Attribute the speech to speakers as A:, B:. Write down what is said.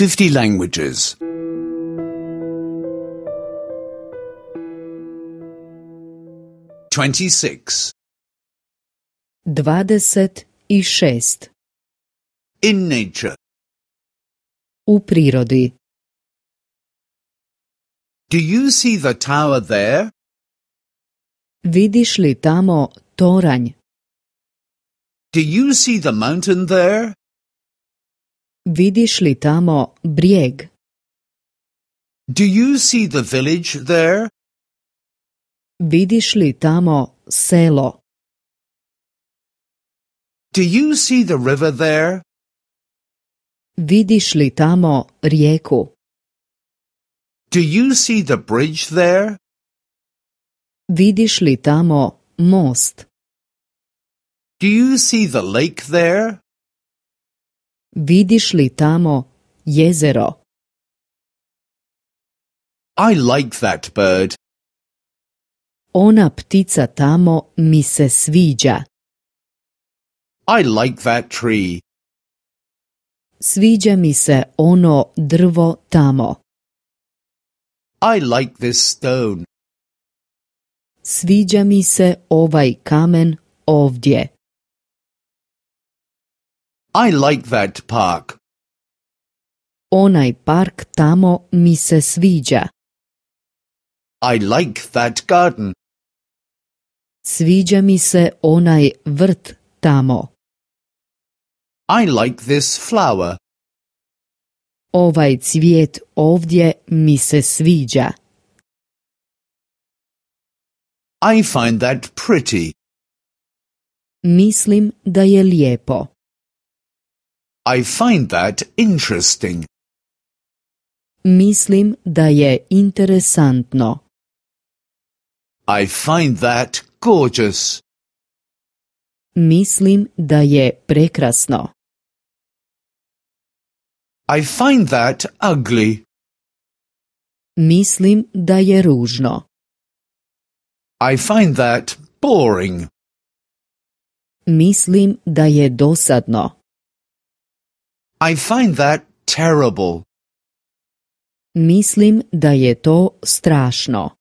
A: 50 languages. 26.
B: 26.
A: In nature.
B: U prirodi.
A: Do you see the tower there?
B: Vidiš li tamo toranj?
A: Do you see the mountain there?
B: Vidiš li tamo brijeg?
A: Do you see the village there?
B: Vidiš li tamo selo?
A: Do you see the river there?
B: Vidiš li tamo rijeku?
A: Do you see the bridge there?
B: Vidiš li tamo most?
A: Do you see the lake there?
B: Vidiš li tamo jezero?
A: I like that bird.
B: Ona ptica tamo mi se sviđa.
A: I like that tree.
B: Sviđa mi se ono drvo tamo.
A: I like this stone.
B: Sviđa mi se ovaj kamen ovdje.
A: I like that park.
B: Onaj park tamo mi se sviđa.
A: I like that garden.
B: Sviđa mi se onaj vrt tamo.
A: I like this flower.
B: Ovaj cvijet ovdje mi se sviđa.
A: I find that pretty.
B: Mislim da je lijepo.
A: I find that interesting.
B: Mislim da je interesantno.
A: I find that gorgeous.
B: Mislim da je prekrasno.
A: I find that ugly.
B: Mislim da je ružno.
A: I find that boring.
B: Mislim da je dosadno.
A: I find that terrible.
B: Mislim da je to strašno.